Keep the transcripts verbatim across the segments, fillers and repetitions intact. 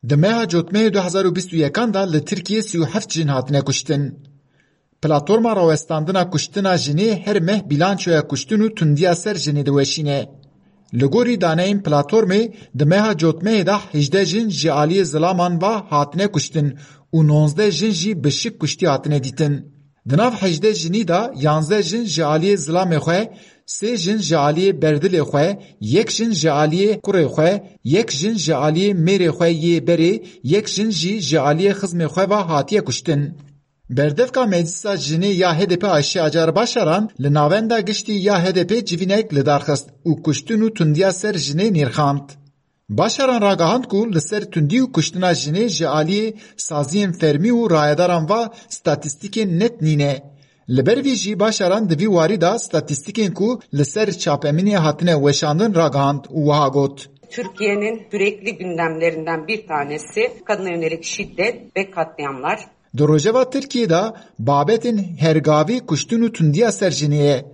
Di meha Cotmehê du hezar û bîst û yekan de li Tirkiyê sî û heft jin hatine kuştin. Platforma rawestandina kuştina jinê her meh bîlançoya kuştin û tundiya ser jinê diweşîne. Li gorî daneyên platformê, di meha Cotmehê de hejdeh jin ji aliyê zilaman ve hatine kuştin û nonzdeh jin jî bi şik kuştî hatine dîtin. Di nav hejdeh jinî de yanzdeh jin ji aliyê zilamê xwe, sê jin ji aliyê berdilê xwe, yek jin ji aliyê kurê xwe, yek jin ji aliyê mêrê xwe yê berê, yek jin jî ji aliyê xizmê xwe ve hatiye kuştin. Berdevka Meclisa Jinê ya H D P Ayşe Acar Başaran li Navenda Giştî ya H D P civînek li dar xist û kuştin û tundiya ser jinê nirxand. Başaran ragihand ku li ser tundî û kuştina jinê ji aliyê saziyên fermî û rayedaran ve statîstîkên net nîne. Li ber vî jî Başaran di vî warî de statîstîkên ku li ser çapemeniyê hatine weşandin ragihand û wiha got. Türkiye'nin sürekli gündemlerinden bir tanesi kadına yönelik şiddet ve katliamlar. Di rojeva Tirkiyê de babetên hergavî kuştin û tundiya ser jinê ye.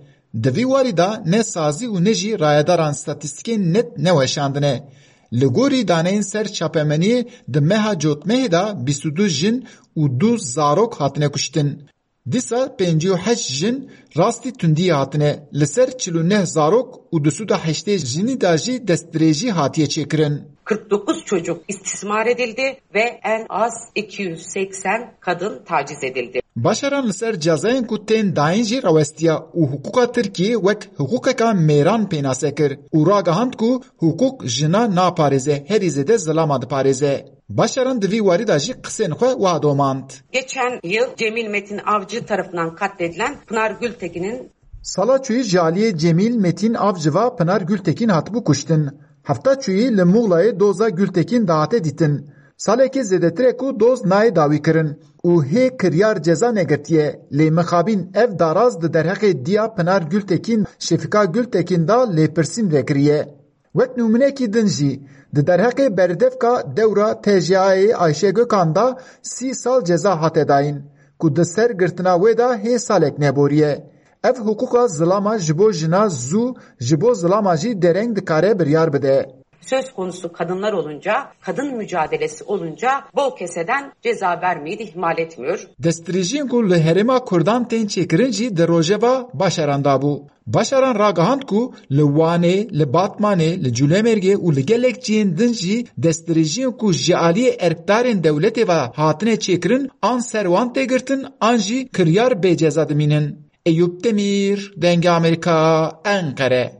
Di vî warî de ne sazî û ne jî rayedaran statîstîkên net neweşandine. Li gorî daneyên ser çapemeniyê di meha Cotmehê de bîst û du jin û du zarok hatine kuştin. Dîsa pêncî û heşt jin rastî tundiyê hatine, li ser çil û neh zarok û du sed û heştê jinî de jî destdirêjî hatiye çêkirin. Kırk dokuz çocuk istismar edildi ve en az iki yüz seksen kadın taciz edildi. Başaran li ser cezayên ku tên dayîn jî rawestiya û hiqûqa Tirkiyê wek hiqûqeka mêran pênase kir û ragihand ku hiqûq jina naparêze, herî zêde zilama diparêze. Başaran di vî warî de jî qisên xwe wiha domand. Geçen yıl Cemil Metin Avcı tarafından katledilen Pınar Gültekin'in Sala çûyî ji aliyê Cemîl Metîn Avcı ve Pinar Gültekin hatibû kuştin. Hefta çûyî li Muğlayê doza Gültekin dihate dîtin. Salekê zêdetir e ku doz nayê dawî kirin û hê kiryar ceza negirtiye, lê mixabîn ev daraz di derheqê diya Pinar Gültekin, Şefika Gültekin de lêpirsîn vekiriye. Wek nûmûnekî din jî, di derheqê berdevka dewra T J A'yê Ayşe Gökhan de sî sal ceza hate dayîn, ku di ser girtina wê de hê salek neboriye. Ev hiqûqa zilama ji bo jina zû, ji bo zilama jî dereng dikare biryar bide. Söz konusu kadınlar olunca, kadın mücadelesi olunca bol keseden ceza vermeyi de ihmal etmiyor. Destdirêjiyên ku li herêma Kurdan tên çêkirin jî di rojeva Başaran de bû. Başaran ragihand ku li Wanê, li Batmanê, li Cûlemêrgê û li gelek cihên din jî destdirêjiyên ku ji aliyê erkdarên dewletê ve hatine çêkirin an ser wan tê girtin an jî kiryar bê ceza dimînin. Eyûp Demîr, Dengê Amerîka, Enqere.